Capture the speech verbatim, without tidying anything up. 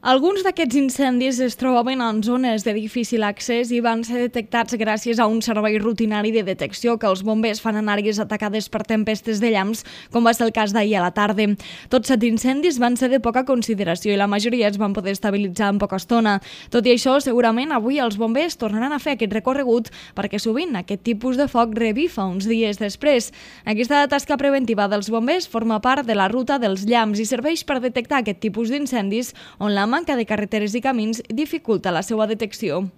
Alguns d'aquests incendis es trobaven en zones de difícil accés i van ser detectats gràcies a un servei rutinari de detecció que els bombers fan en àrees atacades per tempestes de llamps, com va ser el cas d'ahir a la tarda. Tots set incendis van ser de poca consideració i la majoria es van poder estabilitzar en poca estona. Tot i això, segurament avui els bombers tornaran a fer aquest recorregut perquè sovint aquest tipus de foc revifa uns dies després. Aquesta tasca preventiva dels bombers forma part de la ruta dels llamps i serveix per detectar aquest tipus d'incendis on la manca de carreteres i camins dificulta la seva detecció.